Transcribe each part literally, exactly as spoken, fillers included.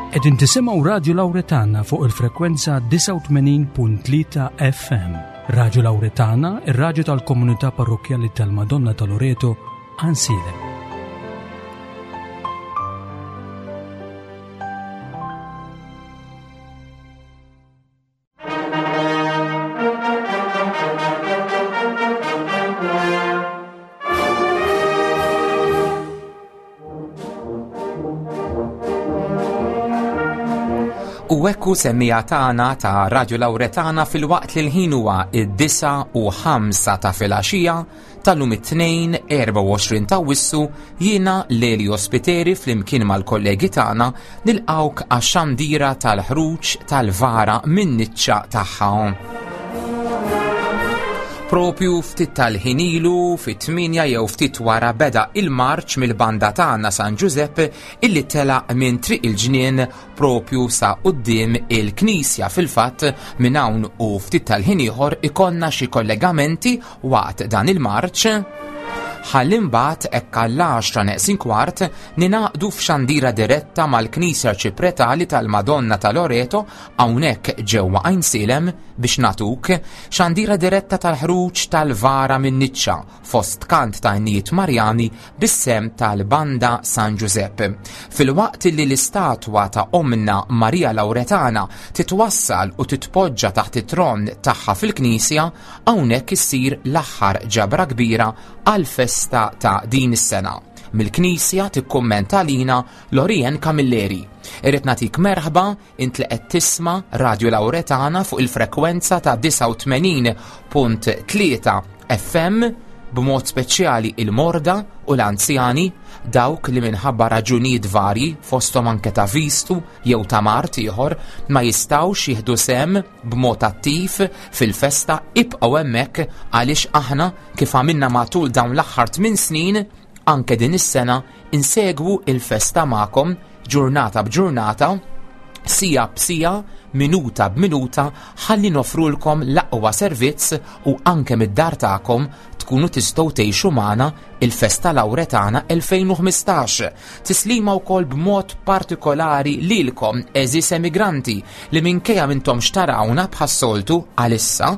Qegħdin tisimgħu Radio Lauretana fuq il-frekwenza disgħa u tmenin punt tlieta F M. Radio Lauretana, ir-radju tal-komunità parrokjali tal-Madonna ta' Loreto, Għajnsielem. U ekku, semmiegħa tagħna ta' Radio Lauretana, filwaqt li l-ħin huwa id-disgħa u ħamsa ta' filgħaxija tal-lum, it-Tnejn erbgħa u għoxrin ta' Awwissu, jiena Lelio Spiteri flimkien mal-kollegi tagħna nilqawk għax-xandira tal-ħruġ tal-vara min-niċċa tagħha. Propju ftit tal-ħin ilu, fit-tmienja jew ftit wara, beda il-marċ mill-banda tagħna San Giuseppe illi telaq minn Triq il-Ġnien propju sa quddiem il-Knisja. Fil-fatt, minn hawn u ftit tal-ħin ieħor ikollna xi kollegamenti waqt dan il-marċ, ħalli mbagħad hekk għall-għaxra neqsin kwart ningħaqdu f'xandira diretta mal-Knisja Arċipretali tal-Madonna ta' Loreto hawnhekk ġewwa Għajnsielem biex nagħtuk xandira diretta tal-ħruġ tal-vara minn niċċa fost kant ta' innijiet Marjani bis-sehem tal-Banda San Giuseppe. Filwaqt li l-istatwa ta' Omna Maria Lauretana titwassal u titpoġġa taħt it-tron tagħha fil-Knisja, hawnhekk issir l-aħħar ġabra kbira għal-festa ta' din is-sena. Mill-Knisja tikkummenta lina Lorien Camilleri. Irrid nagħtik merħba int li qed tisma' Radio Lauretana fuq il-frekwenza ta' disgħa u tmenin punt tlieta F M, b'mod speċjali il-morda u l-anzjani, dawk li minħabba raġunijiet varji, fosthom anke ta' vistu jew ta' mard ieħor, ma jistgħux jieħdu sehem b'mod attiv fil-festa. Ibqgħu hemmhekk għaliex aħna, kif għamilna matul dawn l-aħħar tmien snin, anke din is-sena insegwu il-festa magħkom ġurnata b'ġurnata, siegħa b'siegħa, minuta b'minuta, ħalli nofrulkom l-aqwa servizz u anke mid-dar tagħkom tkunu tistgħu tgħixu magħna il-Festa Lauretana elfejn u ħmistax. Tislima wkoll b'mod partikolari lilkom, għeżież emigranti, li minkejja m'intomx tarawna bħas-soltu għalissa,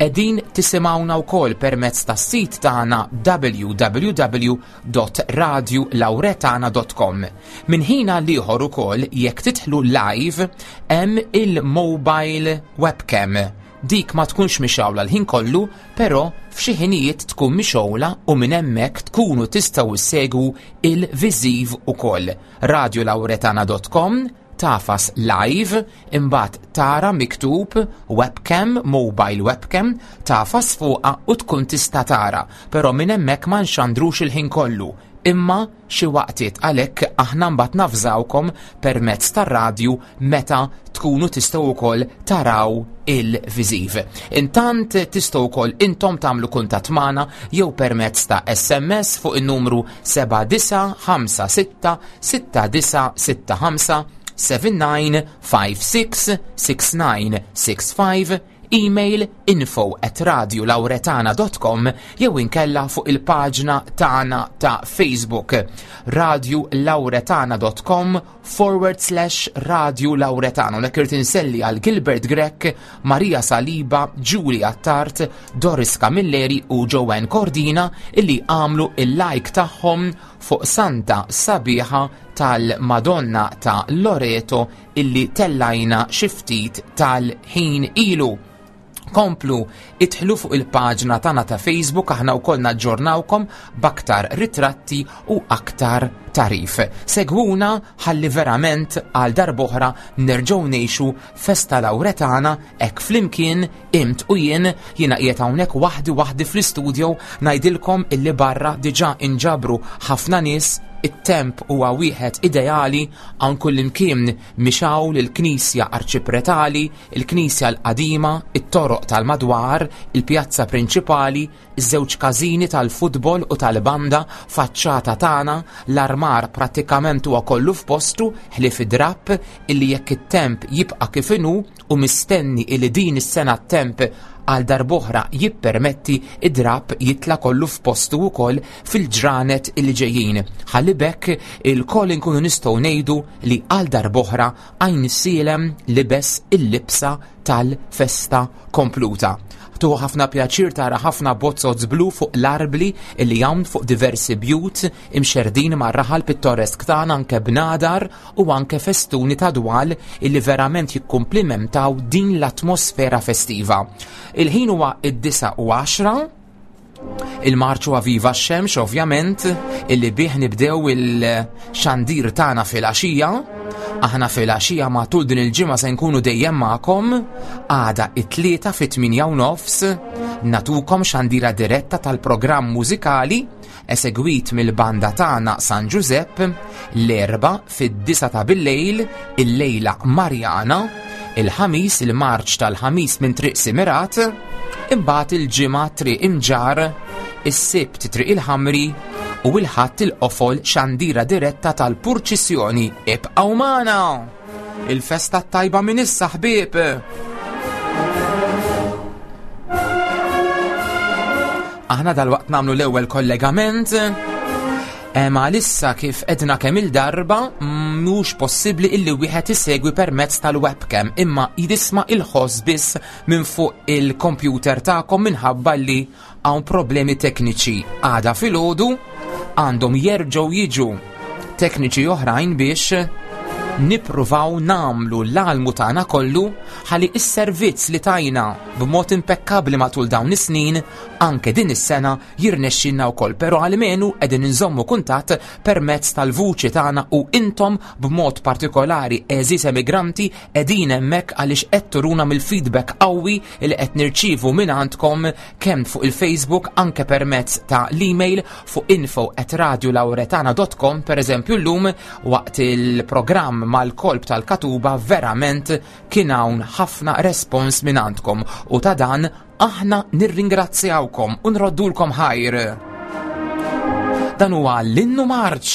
qegħdin tisimgħuna wkoll permezz tas-sit tagħna w w w punt radiolauretana punt com. Min ħin għal ieħor ukoll, jekk tidħlu live, hemm il-mobile webcam. Dik ma tkunx mixgħula l-ħin kollu, però f'xi ħinijiet tkun mixgħula u minn hemmhekk tkunu tistgħu ssegwu il-viżiv ukoll. radiolauretana punt com, tagħfas live, imbagħad tara miktub webcam, mobile webcam, tagħfas fuqha u tkun tista' tara, però minn hemmhekk ma nxandrux il-ħin kollu, imma xi waqtiet. Għalhekk aħna mbagħad navżawkom permezz tar-radju meta tkunu tistgħu wkoll taraw il-viżiv. Intant tistgħu wkoll intom tagħmlu kuntatt magħna jew permezz ta' S M S fuq in-numru seba' disa' ħamsa sitta sitta disa' sitta ħamsa, seba' disa' ħamsa sitta sitta disa' sitta ħamsa, email info at radiolauretana punt com jew inkella fuq il-paġna tagħna ta' Facebook, radiolauretana punt com forward slash Radio Lauretana. Lek irrid inselli għal Gilbert Grech, Maria Saliba, Julia Tart, Doris Camilleri u Joanne Cordina illi għamlu il-like tagħhom fuq Santa Sabiħa tal-Madonna ta' Loreto illi tellajna xi ftit tal-ħin ilu. Komplu idħlu fuq il-paġna tagħna ta' Facebook, aħna wkoll naġġornawkom b'aktar ritratti u aktar tagħrif. Segwuna ħalli verament għal darb'oħra nerġgħu ngħixu Festa Lauretana hekk flimkien int u jien. Jiena qiegħed hawnhekk waħdi waħdi fl-istudio, ngħidilkom illi barra diġà inġabru ħafna nies. It-temp huwa wieħed ideali hawn kullimkien mixgħul, il-Knisja Arċipretali, il-Knisja l-Qadima, it-toroq tal-madwar, il-pjazza prinċipali, iż-żewġ każini tal-futbol u tal-banda, faċċata tagħna, l-armar prattikament huwa kollu f'postu ħlief id-drapp illi jekk it-temp jibqa' kif inhu, u mistenni illi din is-sena t-temp għal darb'oħra jippermetti id-drab jitla kollu f'postu wkoll fil-ġranet illi ġejjin. Ħalli bekk il-koll inkunu nistgħu ngħidu li għal darb'oħra Għajnsielem libes il-libsa tal-festa kompluta. Tuħu ħafna pjaċir tara ħafna bozzot blu fuq l-arbli illi hawn fuq diversi bjut imxerdin mar-raħal pittoresk tagħna, anke bnadar u anke festuni ta' dwal illi verament jikkumplimentaw din l-atmosfera festiva. Il-ħin huwa id-disa u għaxra, il-marċu Viva x-Xemx ovvjament illi bih nibdew il-xandir tagħna fil-għaxija. Aħna fil-għaxija matul din il-ġimgħa se nkunu dejjem magħkom għada it-tlieta fit-tmienja u nofs natukom xandira diretta tal-programm mużikali esegwit mill-banda tagħna San Giuseppe, l-Erbgħa fid-disa ta' billejl, il-lejla Marjana, il-Ħamis, il-marċ tal-Ħamis minn Triq Simirat, imbagħad il-Ġimgħa Triq Imġar, is-Sibt Triq il-Ħamri u l-Ħadd il-Qofol xandira diretta tal-purċissjoni. Ibqgħu magħna! Il-festa tajba minn issa ħbieb! Aħna dal-waqt nagħmlu l-ewwel kollegament. Ma issa kif edna kemm il-darba mhux possibbli illi wieħed isegwi permezz tal-webcam, imma jisma' il-ħoss biss minn fuq il-computer tagħkom minħabba li hawn problemi tekniċi. Għada filgħodu għandhom jerġgħu jiġu tekniċi oħrajn biex nippruvaw namlu l-almu tagħna kollu ħalli is-servizz li tajna b'mod impekkabbli matul dawn is-snin anke din is-sena jirnexxilna wkoll, però almenu qegħdin inżommu kuntatt permezz tal-vuċi tagħna u intom b'mod partikolari għeżież emigranti qegħdin hemmhekk għaliex qed turuna mill-feedback qawwi li qed nirċievu minn għandkom kemm fuq il-Facebook anke permezz ta' l-email fuq info at radio lauretana dot com. Per eżempju llum waqt il-programm mal-kolb tal-Katuba verament kien hawn ħafna respons minn għandkom u ta' dan aħna nirringrazzjawkom u nroddulkom ħajr. Dan huwa l-innu marċ.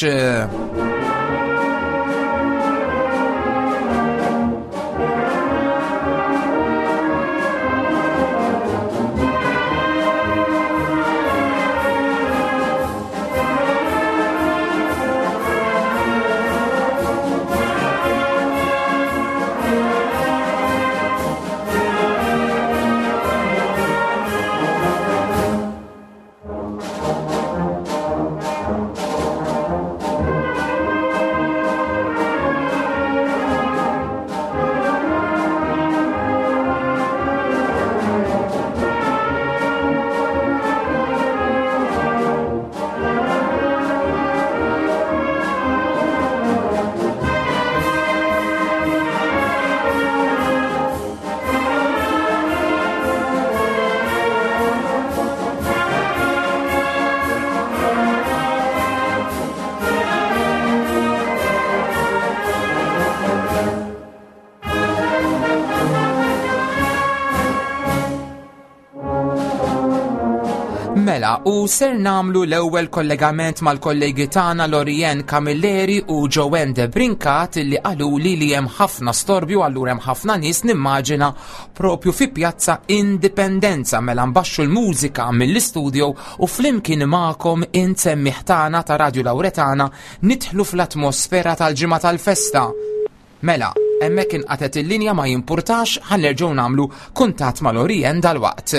Mela, u ser namlu l-ewwel kollegament mal-kollegi tagħna Lorien Camilleri u Joanne De Brincat li qaluli li hemm ħafna storbju, allura hemm ħafna nies nimmaġina propju fi Pjazza Indipendenza. Mela nbaxxu l-mużika mill-istudio u flimkien magħkom insemmih tagħna ta' Radio Lauretana nidħlu fl-atmosfera tal-ġimgħa tal-festa. Mela, hemmhekk inqatet il-linja ma jimpurtax, ħa nerġgħu nagħmlu kuntatt ma' Lorien dalwaqt.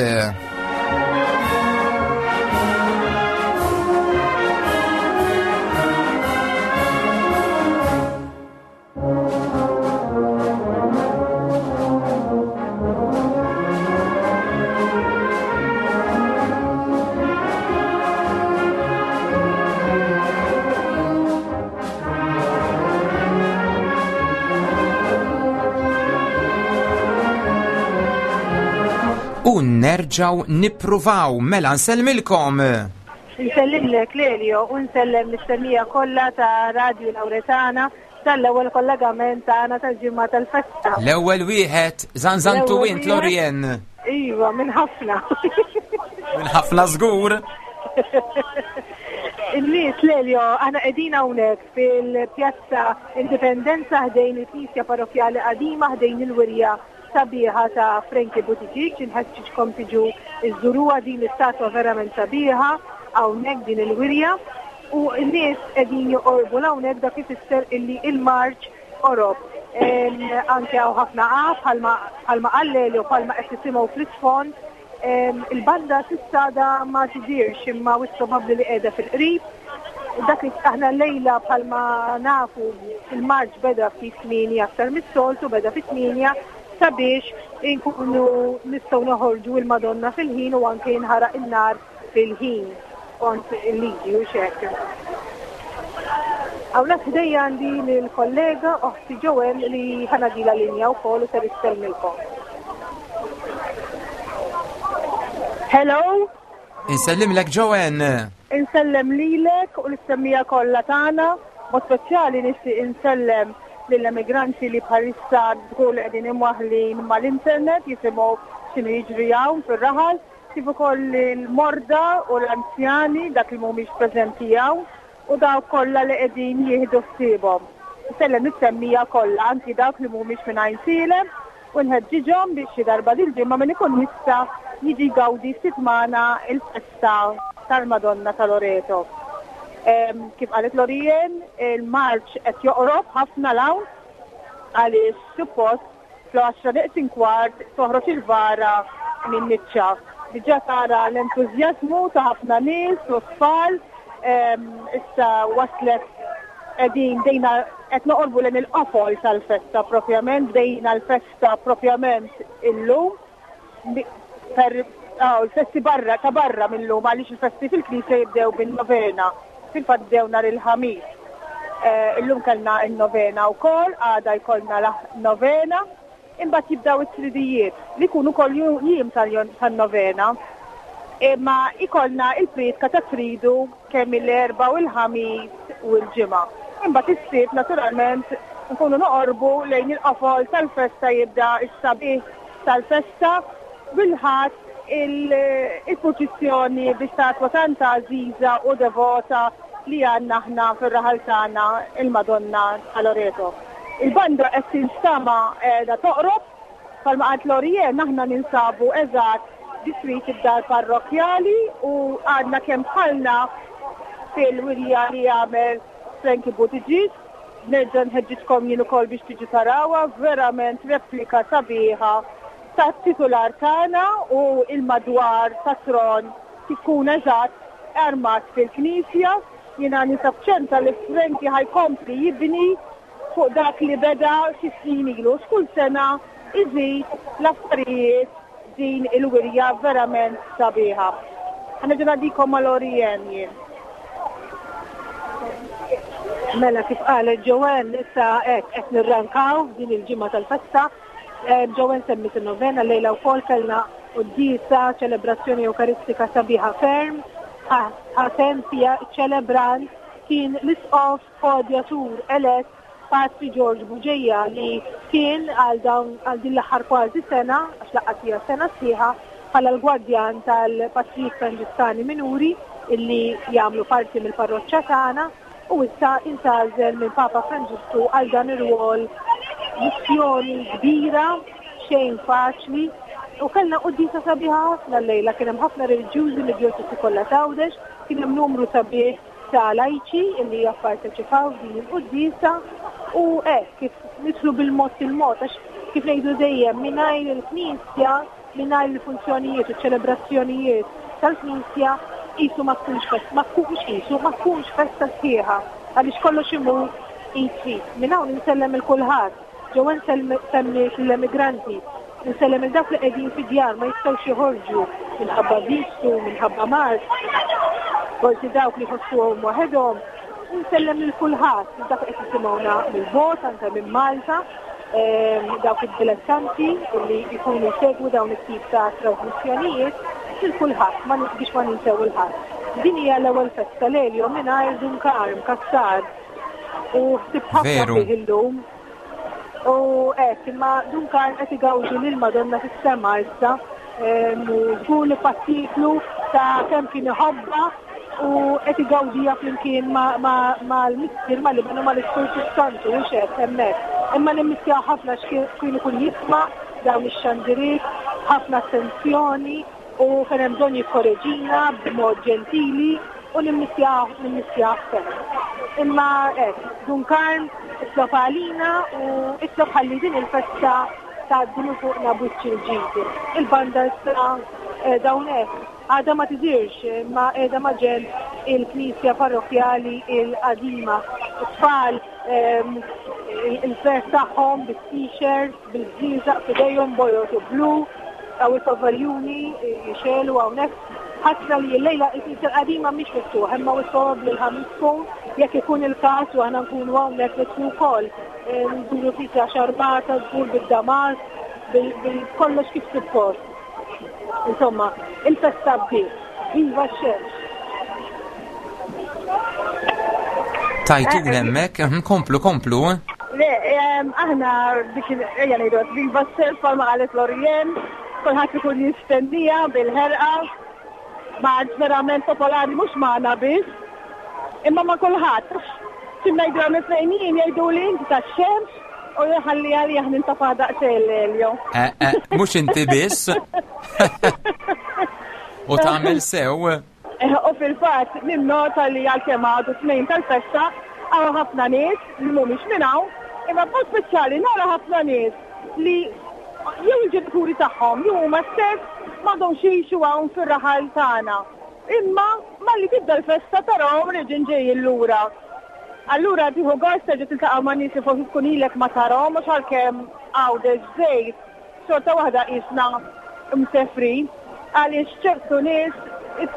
U nerġaw nippruvaw. Mela nsellmilkom. Nsellimlek Lelio u nsellem l-istemija kollha ta' Radio Lauretana tal-ewwel kollegament tagħna tal-ġimgħa tal-festa. L-ewwel wieħed, żanżantu L-ewwel int, wieħed. Lorien. Iva, minn ħafna. Minn ħafna żgur. Il-nies Lelio, aħna qegħdin hawnhekk fil-Pjazza Indipendenza ħdejn il-Knisja Parrokjali Qadima, ħdejn il-Wirja sabiħa ta' Frankie Buttigieg, inħeġġiġkom tiġu iżżuruha din l-istatwa verament sabiħa hawnhekk din il-wirja. U n-nies qegħdin joqorbu hawnhekk, dak ifisser illi il-marċ qorob. Anke hawn ħafna qaf bħalma qal Lelio, bħalma qed tisimgħu fl-isfond. Il-banda s'issa da ma tidirx, imma wis probabbli li qiegħda fil-qrib. Dak li aħna lejla bħalma nafu il-marċ beda fi tmienja aktar mis-soltu, beda fi tmienja sabiex inkunu nistgħu noħorġu il-Madonna fil-ħin u anke jinħaraq in-nar fil-ħin kont il-liġi u xek. Hawnhekk ħdejja għandi lill-kollega oħti Joel li ħa ngħaddilha linja wkoll u ser issellmilkom. Hello. Insellimlek Joanne. Insellem lilek u l-istemmija kollha tagħna. Mod speċjali nixtieq insellem lill-emigranti li bħalissa żgur li qegħdin imwaħħlin mal-internet jisimgħu x'inhu jiġri hawn fir-raħal, kif ukoll il-morda u l-anzjani dak li mhumiex preżenti hawn u dawk kollha li qegħdin jieħdu ħsiebhom. Insellem is-semmija kollha anki dawk li mhumiex minn Għajnsielem u nħeġġiġhom biex xi darba dil-ġimgħa min ikun jista' jiġi jgawdi ftit magħna il-festa tal-Madonna ta' Loreto. Kif qalet Lorien, il-marċ qed joqrob ħafna l-hawn għaliex suppost fl-għaxra neqsin kwart toħroġ il-vara minn niċċa. Diġà tara l-entużjażmu ta' ħafna nies u tfal, issa waslet qegħdin dejna qed noqorbu lejn il-qofol tal-festa propjament, bdejna l-festa propjament illum. Per l-festi barra ta' barra mill-lum għaliex il-festi fil-knisja jibdew bin-novena. Fil-fatt bdew nhar il-Ħamis. Illum kellna n-novena wkoll, għada jkollna novena, imbagħad jibdew it-tridijiet li jkunu wkoll jiem tan-novena. Imma ikollna il-prietka ta' tridu kemm il-Erbgħa u l-Ħamis u l-Ġimgħa. Imbagħad is-Sibt naturalment nkunu noqorbu lejn il-qofol tal-festa, jibda s-sabiħ tal-festa bil-Ħadd il-purċissjoni bi statwa tanta għażiża u devota li għandna aħna fir-raħal tagħna il-Madonna ta' Loreto. Il-banda qed tinstama qiegħda toqrob, bħalma qalt Lorien aħna ninsabu eżatt biswit id-dar parrokjali u għadna kemm bħalna fil-wirja li jagħmel Frankie Buttigieg. Nerġa' nħeġġiġkom jien ukoll biex tiġu tarawha, verament replika sabiħa tat-titular tagħna u il-madwar tat-tron tkun eżatt armat fil-knisja. Jiena ninsab ċerta li Frankie ħajkompli jibni fuq dak li beda xi snin ilu. X'kull sena iżid l-affarijiet din il-wirja verament sabiħa. Ħa nerġa' ngħaddikom ma' Lorien jien. Mela kif qalet Joanne, issa hekk qed nirrankaw f'din il-ġimgħa tal-festa. Joanne semmit in-novena, lejla wkoll kellna quddiesa, ċelebrazzjoni Ewkaristika sabiħa ferm. Ħatem fiha ċelebrant kien l-isqof koadjatur elett Patri George Bugeja li kien għal dawn għal din l-aħħar kważi sena, għax laqqas hija sena sħiħa, bħala l-gwardjan tal-Patrijiet Franġiskani Minuri illi jagħmlu parti mill-parroċċa tagħna, u issa intgħażel minn Papa Franġisku għal dan ir-rwol, missjoni kbira, xejn faċli, u kellna quddiesa sabiħa ħafna llejla, kien hemm ħafna reliġjużi mid-djoċesi kollha t'Għawdex, kien hemm numru sabiħ ta' lajċi illi japparteċipaw f'din il-quddiesa, u hekk kif nidħlu bil-mod il-mod, għax kif ngħidu dejjem mingħajr il-Knisja, mingħajr il-funzjonijiet u ċ-ċelebrazzjonijiet tal-Knisja, qisu ma tkunx festa, ma tkunx qisu, ma tkunx festa sħiħa, għaliex kollox imur id f'id. Minn hawn insellem il kulħadd, Joanne semmiet l-emigranti, insellem il dawk li qegħdin fid-djar ma jistgħux joħorġu minħabba vistu, minħabba mard, forsi dawk li jħossuhom waħedhom, insellem lil kulħadd, dak qed jisimgħuna mill-bogħod, anke minn Malta, dawk id-dilettanti li jkunu jsegwu dawn it-tip ta' trasmissjonijiet, lil kulħadd, biex ma ninsew il-ħadd. Din hija l-ewwel festa Lelio mingħajr Dun Karm Cassar u ħsibt ħafna fih illum. U hekk, imma Dun Karm qed igawdi lil Madonna fis-sema issa, u żgur li pattiklu ta' kemm kien iħobbha u qed igawdija flimkien mal-Missier, mal-Iben u mal-Ispirtu Santu, u x'hekk hemmhekk. Imma nimmissjaw ħafna x'kien ikun jisma' dawn ix-xandiriet, ħafna attenzjoni u fejn hemm bżonn jikkoreġina b'mod ġentili u nimmissjah nimmissjah ferm. Imma hekk, Dun Karm itlob għalina u itlob ħalli din il-festa tgħaddi minn fuqna b'wiċċ il-ġid. Il-banda issa qiegħda hawnhekk, għadha ma tidhirx imma qiegħda maġenb il-Knisja Parrokkjali il-qadima. It-tfal il-ferħ tagħhom bit-t-shirts, bil-bżieżaq f'idejhom bojod u blu, għaw il-pavaljuni jixelu hawnhekk. Ħasra li l-lejla il-Knisja l-qadima mhix miftuħa, imma wis probabbli l-Ħamis tkun, jekk ikun il-każ u aħna nkunu hawnhekk nidħlu wkoll. Nduru knisja xarbata, żgur bid-damas, bil-kollox kif suppost. Insomma, il-festa bdiet. Viva x-xemx! Tajtun hemmhekk, mhm, komplu, komplu. Le, aħna dik ejja ngħidu viva x-xemx bħalma qalet Lorien, kulħadd ikun jistennija bil-ħerqa. Marċ verament popolari mhux magħna biss, imma ma' kulħadd. Xi ngħidu għam it-tnejn jien jgħidu li inti tax-xemx u jħalli għalija nintafa' daqsxejn l-elju. Eh, eh, mhux inti biss. U tagħmel sew. Eh, u fil-fatt ninnota li għalkemm għadu tnejn tal-festa hawn ħafna nies li mhumiex minn hawn, imma b'mod speċjali nara ħafna nies li jew il-ġenituri tagħhom jew huma stess m'għadhomx jgħixu hawn fir-raħal tagħna. Imma malli tibda l-festa tarahom reġgħin ġejjin lura. Allura tieħu gost terġa' tiltaqa' ma' nies li forsi tkun ilek ma tarahom mhux għalkemm Għawdex żejt, xorta waħda qisna msefrin għaliex ċertu nies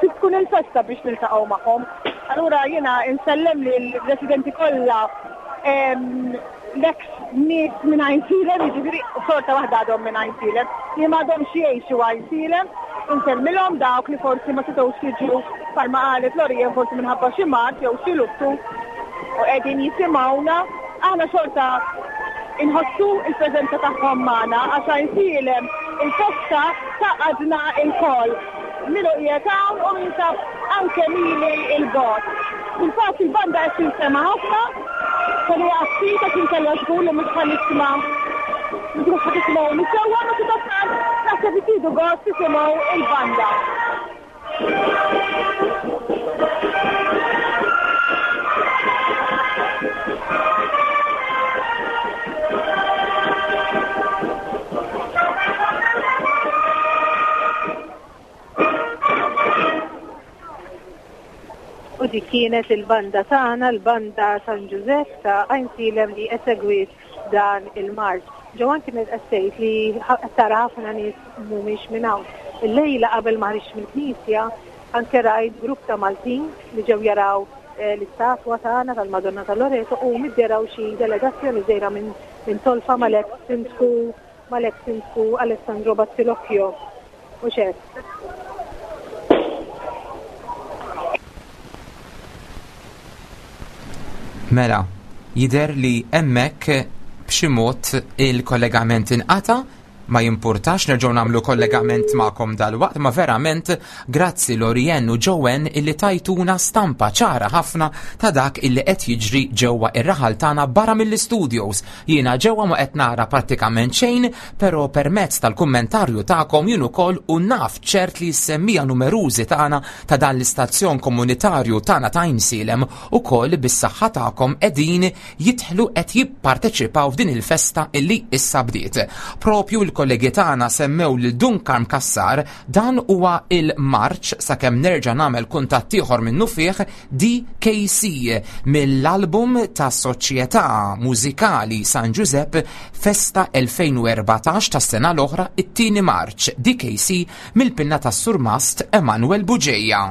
tkun il-festa biex niltaqgħu magħhom. Allura jiena insellem lill-residenti kollha l-ex nies minn Għajnsielem, jiġifieri xorta waħda għadhom minn Għajnsielem, li m'għadhomx jgħixu Għajnsielem, insellmilhom dawk li forsi ma setgħux jiġu bħalma qalet Lorien forsi minħabba xi mard jew xi luttu u qegħdin jisimgħuna. Aħna xorta inħossu il-preżenza tagħhom magħna għax Għajnsielem il-festa tgħaqqadna lkoll. Min hu qiegħed hawn u min sab anke mili il-bogħod. Fil-fatt il-banda qed tinsema' ħafna, kelli ftit għax inkella żgur li mhux ħa nisma' mhux ħa tisimgħuni sewwa, ma sadattant naħseb li tieħdu gost tisimgħu il-banda. U dik kienet il-banda tagħna, l-banda San Ġużepp ta' Għajnsielem li esegwiet dan il-marċ. Joanne kienet qed tgħid li qed tara ħafna nies mhumiex minn hawn. Illejla qabel ma ħriġt mill-knisja anke rajt grupp ta' Maltin li ġew jaraw eh, l-istatwa tagħna tal-Madonna ta' Loreto u midderaw xi delegazzjoni żgħira minn minn Tolfa mal-ex sindku mal-ex sindku Alessandro Battilocchio. Mhux hekk. Mela, jidher li hemmhekk b'xi mod il-kollegament inqata', ma jimpurtax nerġgħu nagħmlu kollegament magħkom dalwaqt, ma verament grazzi Lorien u Joanne illi tajtuna stampa ċara ħafna ta' dak illi qed jiġri ġewwa ir-raħal tagħna barra mill-istudios. Jiena ġewwa ma qed nara prattikament xejn, però permezz tal-kummentarju tagħkom jien ukoll u naf ċert li s-semmija numerużi tagħna ta' dan l-istazzjon komunitarju tagħna ta' Għajnsielem ukoll bis-saħħa tagħkom qegħdin jidħlu qed jipparteċipaw f'din il-festa illi issa bdiet. Propju l-kollegi tagħna semmew lil Dun Karm Cassar, dan huwa il-marċ sakemm nerġa' nagħmel kuntatt ieħor minnu fih D K C mill-album ta' Soċjetà Mużikali San Ġużepp Festa elfejn u erbatax tas-sena l-oħra, it-tieni marċ D K C mill-pinna tas-Surmast Emanuel Bugeja.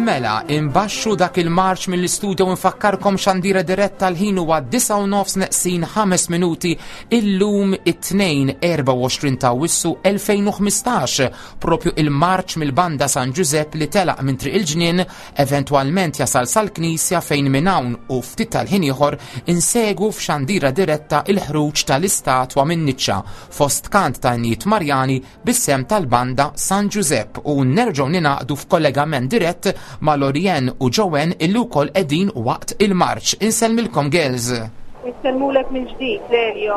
Mela, imbaxxu dak il-marċ mill-istudio u nfakkarkom xandira diretta l-ħin huwa disgħa u nofs neqsin ħames minuti illum it-tnejn erbgħa u għoxrin ta' Awwissu elfejn u ħmistax, propju il-marċ mill-banda San Ġużepp li telaq minn Triq il-Ġnien eventwalment jasal sal-Knisja fejn minn hawn u ftit tal-ħin ieħor insegu f'xandira diretta il-ħruġ tal-istatwa minn niċċa fost kant ta' Innijiet Marjani bis-sem tal-banda San Ġużepp u nerġgħu ninaqdu f'kollegament dirett ma' Lorien u Joanne illi wkoll qegħdin waqt il-marċ. Insellmilkom girls. Insellmulek minn ġdid, Lelio.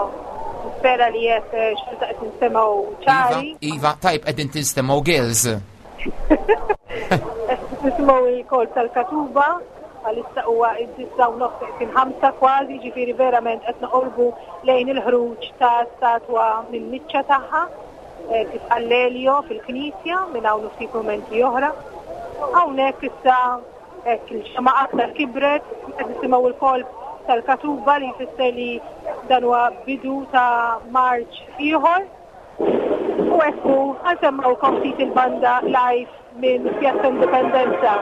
Nispera li qed xorta qed ninstemgħu ċari. Iva, iva, tajb qegħdin tinstemgħu girls. Nisimgħu il-kol tal-Katuba, għalissa huwa id-disgħa u nofs neqsin ħamsa kważi, ġifieri verament qed noqorbu lejn il-ħruġ ta' statwa minn niċċa tagħha, eh, kif qal Lelio fil-Knisja minn hawn u ftit mumenti oħra. Hawnhekk issa hekk il-ġemgħa aktar kibret, qed nisimgħu l-kolb tal-Katuba li jfisser li dan huwa bidu ta' marċ ieħor. U hekk hu, ħansemmgħukom ftit il-banda live minn Pjazza Indipendenza.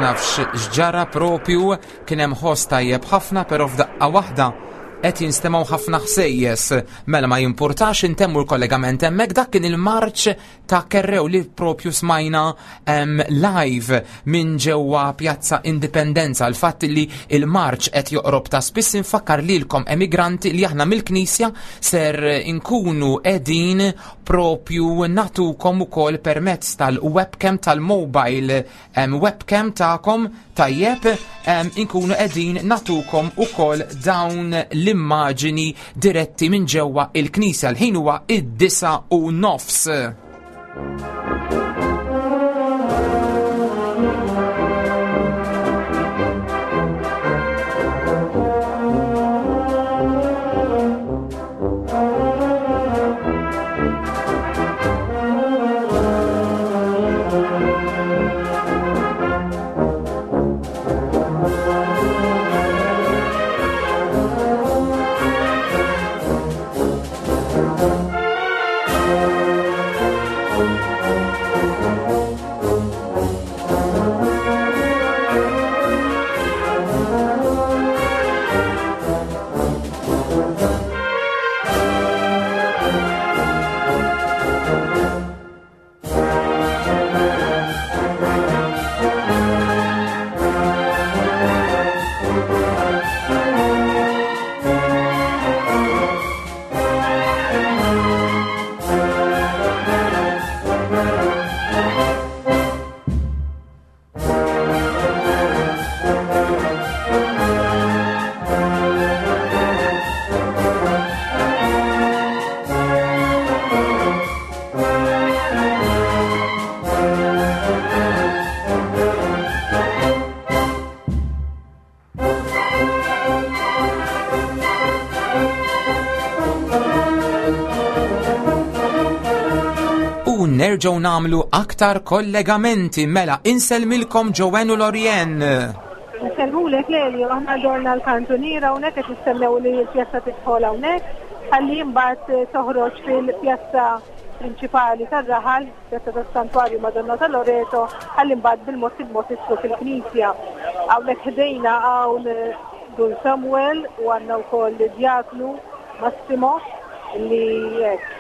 nafx x'ġara propju, kien hemm ħoss tajjeb ħafna, però f'daqqa waħda qed jinstemgħu ħafna ħsejjes. Mela ma jimpurtax, intemmu l-kollegament hemmhekk. Dak kien il-marċ ta' Kerrew li propju smajna em, live minn ġewwa Pjazza Indipendenza. Il-fatt li il-marċ qed joqrob ta' spiss, infakkar lilkom emigranti li aħna mill-Knisja ser inkunu qegħdin propju nagħtukom ukoll permezz tal-webcam, tal-mobile em, webcam tagħkom, tajjeb, em, inkunu qegħdin nagħtukom ukoll dawn l-immaġini diretti minn ġewwa il-Knisja. L-ħin huwa id-disa u nofs. U nerġgħu nagħmlu aktar kollegamenti. Mela insellmilkom Joanne u Lorien. Nsellmulek Lelio, aħna dorna l-kantuniera hawnhekk, qed nistennew li l-pjazza tidħol hawnhekk, ħalli mbagħad toħroġ fil-pjazza prinċipali tar-raħal, pjazza tas-Santwarju Madonna ta' Loreto, ħalli mbagħad bil-mod il-mod tidħol fil-knisja. Hawnhekk ħdejna hawn Dun Samuel u għandna wkoll Djaknu Massimo li hekk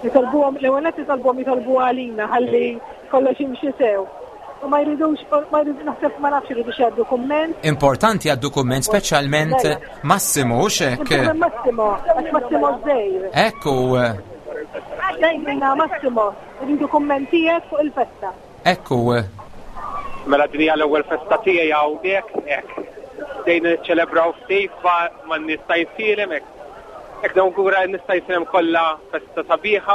nitolbuhom, l-ewwel qed nitolbuhom jitolbu għalina ħalli kollox jimxi sew. U ma jridux, ma jridux, naħseb ma nafx jridux jgħaddu kumment. Importanti għaddu kumment, speċjalment Massimo, u xek. Massimo, għax Massimo żgħir. Ekku. Dejjna Massimo, rridu kummentijiet fuq il-festa. Ekku. Mela din hija l-ewwel festa tiegħi hawnhekk, hekk. Dejn niċċelebraw ftit ma' nies ta' Għajnsielem, hekk. Hekk nawgura nista' jisilem kollha festa sabiħa,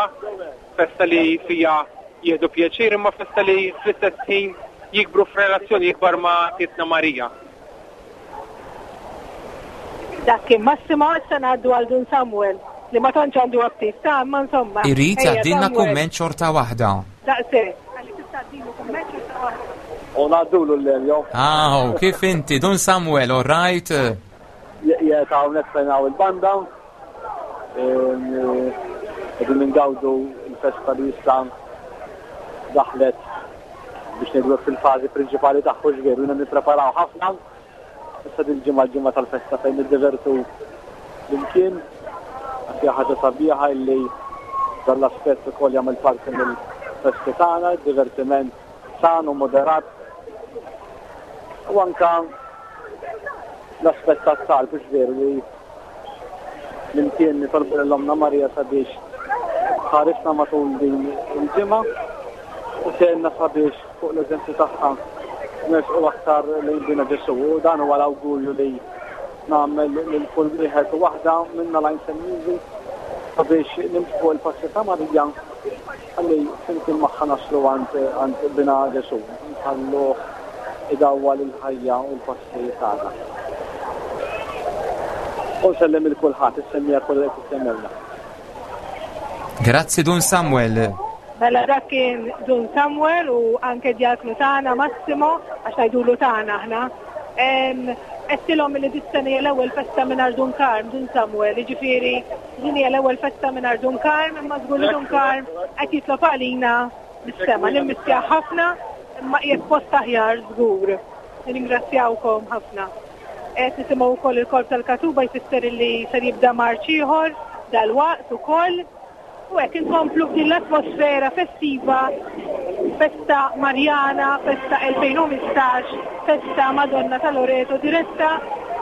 festa li fija jieħdu pjaċir, imma festa li fl-istess ħin jikbru f'relazzjoni ikbar ma' Titna Marija. Dak kien Massimo, issa ngħaddu għal Dun Samuel li ma tantx għandu aptit ta' imma insomma. Irid Ejja, jgħaddilna Samuel. kumment xorta waħda. Daqshekk. Għalli tista' tgħaddilu kumment xorta waħda. U ngħaddulu l-Lelio. Aw, kif inti, Dun Samuel, all right? Qiegħed hawnhekk fejn hawn il-banda. Qegħdin ningawdu l-festa li issa daħlet biex ngħidu fil-fażi prinċipali tagħha, ġveru, jiena nippreparaw ħafna. Issa din ġimgħa l-ġimgħa tal-festa fejn niddivertu flimkien. Hija ħaġa sabiħa illi dan l-aspett ukoll jagħmel parti mill-festi tagħna, divertiment san u moderat. U anka l-aspett tat-talb, veru li flimkien nitolbu lil Ommna Marija sabiex tħarisna matul din il-ġimgħa u tgħinna sabiex fuq l-eżempju tagħha nersqu aktar lejn Bina Ġesù. U dan huwa l-awgurju li nagħmel lil kull wieħed u waħda minna lajn semmiżi sabiex nimxu fuq il-passi ta' Marija ħalli flimkien magħha naslu għand, għand Bina Ġesù, nħalluh idawwal il-ħajja u l-passi tagħna. U nsellem il kulħadd, is-semmija kollha qed tissemmewna. Grazzi Dun Samuel. Mela dak kien Dun Samuel u anke djaknu tagħna Massimo, għax ngħidulu tagħna aħna. Għedtilhom li dis-sena hija l-ewwel festa mingħajr Dun Karm, Dun Samuel, jiġifieri din hija l-ewwel festa mingħajr Dun Karm, imma żgur li Dun Karm qed jitlob għalina mis-sema, nimmissja ħafna, Imma qiegħed post aħjar żgur. Nirringrazzjawkom ħafna. Qed nisimgħu wkoll il-korp tal-Katuba jfisser li ser jibda marċ ieħor dalwaqt ukoll. U hekk inkomplu f'din l-atmosfera festiva, festa Marjana, festa elfejn u ħmistax, festa Madonna ta' Loreto, diretta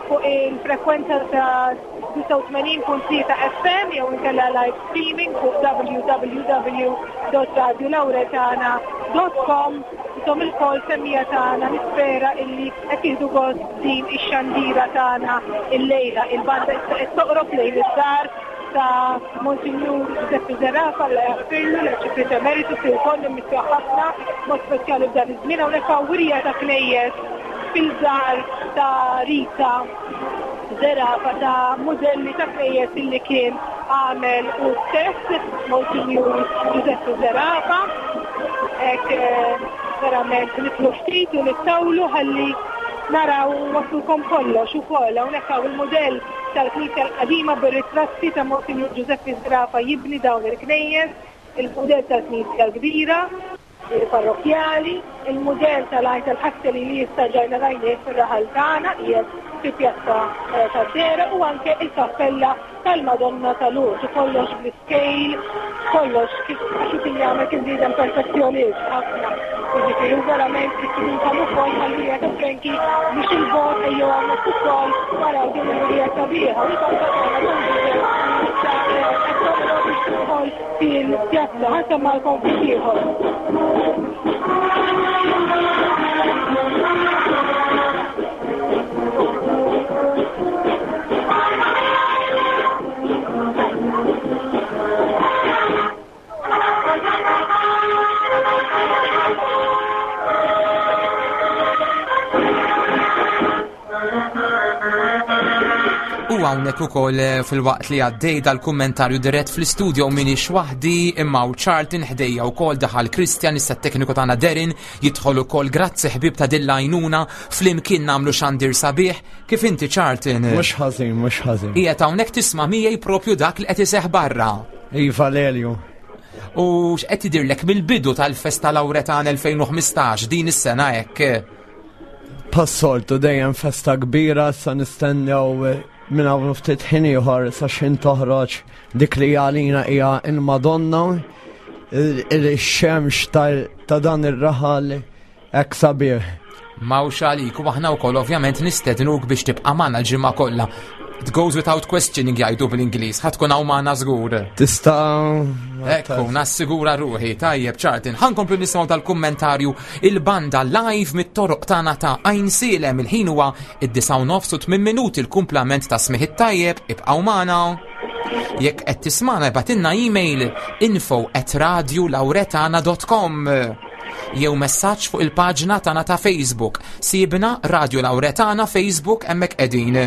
fuq il-frekwenza ta' disgħa u tmenin punt tlieta F M jew inkella live streaming fuq w w w dot radio lauretana dot com. Intom ilkoll semmija tagħna, nispera illi qed jieħdu gost din ix-xandira tagħna illejla. Il-banda issa qed toqrob lejn id-dar ta' Monsignor Giuseppe Zerafa, Alla jaħfirlu, l-Arċipriet Emeritus li wkoll nimmisja ħafna, mod speċjali f'dan iż-żmien. Hawnhekk hawn wirja ta' knejjes fil-dar ta' Rita Zerafa, ta' mudelli ta' knejjes illi kien għamel u stess Monsignor Giuseppe Zerafa. Hekk, eh, verament nitlu ftit u nittawlu ħalli naraw waslulkom kollox ukoll. Hawnhekk hawn il-mudell tal-Knisja l-qadima bir-ritratti ta' Monsignor Giuseppe Zerafa jibni dawn il-knejjes, il-mudell tal-Knisja l-kbira, il-parrokjali, il-mudell tal-għajn tal-ħasseli li issa ġajna rajnieh fir-raħal tagħna qiegħed fi pjazza, eh, tad-Dera, u anke il-kappella tal-Madonna tal-Lourdes, kollox bl-iskejl, kollox kif għax kien jagħmel kien bniedem perfezzjonist ħafna. Jiġifieri u verament istudinkom ukoll ħallija ta' Frankie biex il-bogħod ejjew hawnhekk ukoll waraw din il-wirja sabiħa. U l-banda tagħna issa, eh, qed toqrob biex tidħol fil-pjazza. Ħa nsemmalkom ftit ieħor. U hawnhekk ukoll, eh, fil-waqt li għaddej dal-kummentarju dirett fl-istudio minix waħdi imma u Charlton ħdejja wkoll daħal Christian, issa t-tekniku tagħna Derin jidħol ukoll. Grazzi ħbib ta' din l-għajnuna, flimkien nagħmlu xandir sabiħ. Kif inti Charlton? Mhux ħażin, mhux ħażin. Qiegħed hawnhekk tisma' miegħi propju dak li qed iseħħ barra. Iva Lelju. U x'qed tidirlek mill-bidu tal-Festa Lauretana elfejn u ħmistax din is-sena hekk? Passoltu dejjem festa kbira, sa nistennew minn hawn ftit ħin ieħor sa x'ħin toħroġ dik li għalina hija il-Madonna, il-xemx ta', ta' dan ir-raħal hekk sabiħ. Mawx għalik, u aħna wkoll ovvjament nistednuk biex tibqa' magħna l-ġimgħa kollha. It goes without questioning jgħidu bl-Ingliż, ħa tkun hawn magħna żgur. Tista' Ekku, nassigura ruħi, tajjeb Charlton. Ħa nkomplu nisimgħu tal-kummentarju il-banda live mit-toroq tagħna ta' Għajnsielem. Il-ħin huwa id-disgħa u nofs u tmien minuti, il-kumplament ta' smih it-tajjeb, ibqgħu magħna. Jekk qed tismagħna ibgħatilna email info at radio lauretana dot com jew messaġġ fuq il-paġna tagħna ta' Facebook. Sibna Radio Lauretana Facebook hemmhekk qegħdin.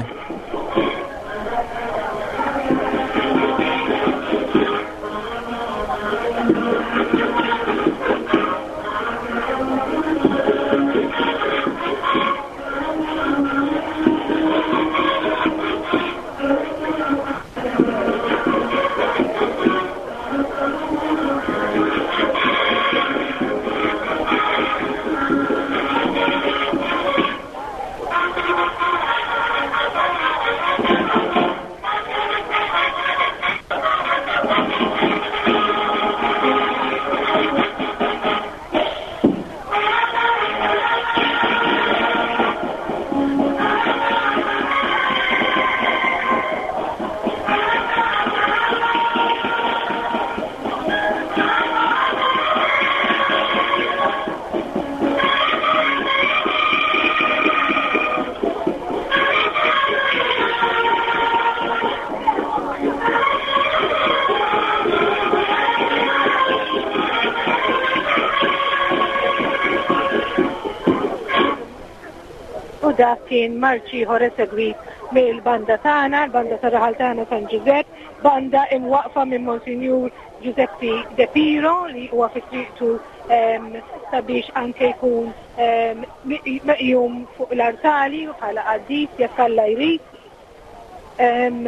Dak kien marċi ieħor esegwit mill-banda tagħna, l-banda tar-raħal tagħna San Ġużepp, banda imwaqfa minn Monsignor Giuseppe De Piro li huwa fi triqtu, ehm, sabiex anke jkun, ehm, meqjum fuq l-artali bħala qaddis jekk Alla jrid. Ehm,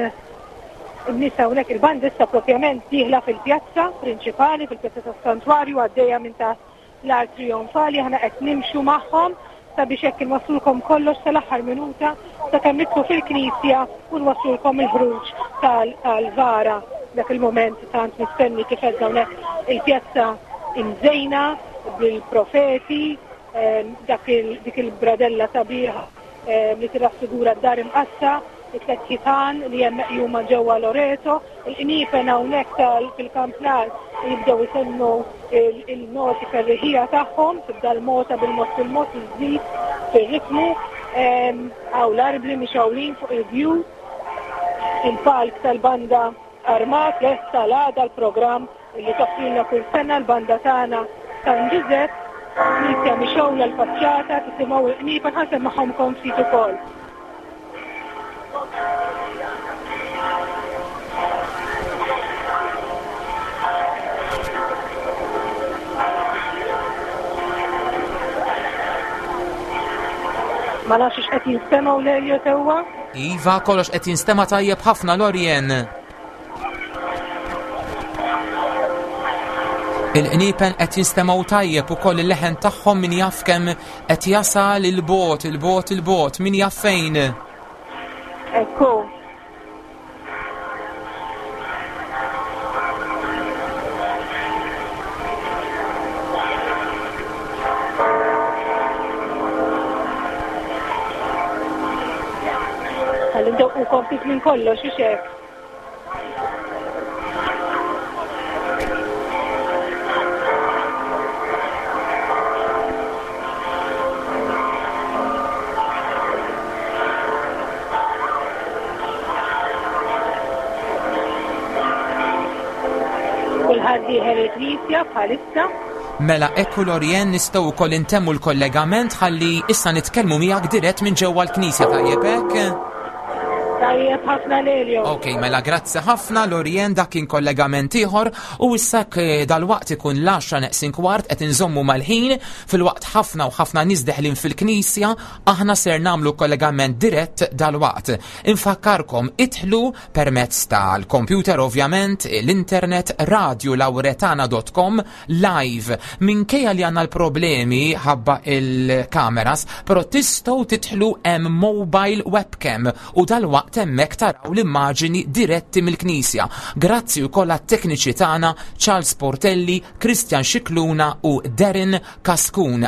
in-nies hawnhekk il-banda issa propjament dieħla fil-pjazza prinċipali, fil-pjazza tas-santwarju, għaddejja minn taħt l-art trionfali, aħna qed nimxu magħhom sabiex hekk inwasslulkom kollox sal-aħħar minuta sakemm nidħlu fil-knisja u nwasslulkom il-ħruġ tal-vara dak il-moment tant mistenni kif qed hawnhekk il-pjazza imżejna bil-profeti, dak dik il-bradella sabiħa li tirraffigura d-dar imqaddsa, it-tliet ħitan li hemm meqjuma ġewwa Loreto, il-qniepen hawnhekk tal fil-kampnar jibdew isennu il-noti ferriħija tagħhom, tibda l-mota bil-mod fil-mod iżżid fir-ritmu, hawn l-arbli mixgħulin fuq il-bjut, il-palk tal-banda armat lest tal-għada l-programm li toffrilna kull sena l-banda tagħna San Ġużepp, knisja mixgħula l-faċċata, tisimgħu l-qniepen, ħa nsemmagħhomkom ftit ukoll. Ma nafx x'qed jinstemgħu Lelio sewwa? Iva, kollox qed jinstema' tajjeb ħafna Lorien. Il-qniepen qed jinstemgħu tajjeb ukoll il-leħen tagħhom min jaf kemm qed jasal il-bot, il-bot, il-bot, min jaf fejn. Ekku. Ħalli ndoqqu ftit minn kollox, u hekk. Kulħadd dieħel il-knisja bħalissa. Mela ekku Lorien nistgħu wkoll intemmu l-kollegament ħalli issa nitkellmu miegħek dirett minn ġewwa l-knisja, tajjeb hekk? Tajjeb ħafna Lelio. Ok, mela grazzi ħafna Lorien, dak kien kollegament ieħor u issa dal-waqt ikun l-għaxra neqsin kwart qed inżommu mal-ħin fil-waqt ħafna u ħafna nies deħlin fil-knisja, aħna ser nagħmlu kollegament dirett dal-waqt. Infakkarkom idħlu permezz tal-computer ovvjament, l-internet radio lauretana dot com live. Minkejja li għandna l-problemi ħabba il-kameras, però tistgħu tidħlu hemm mobile webcam u dal-waqt hemmhekk taraw l-immaġini diretti mill-Knisja. Grazzi wkoll għat-tekniċi tagħna Charles Portelli, Christian Scicluna u Darren Cascun.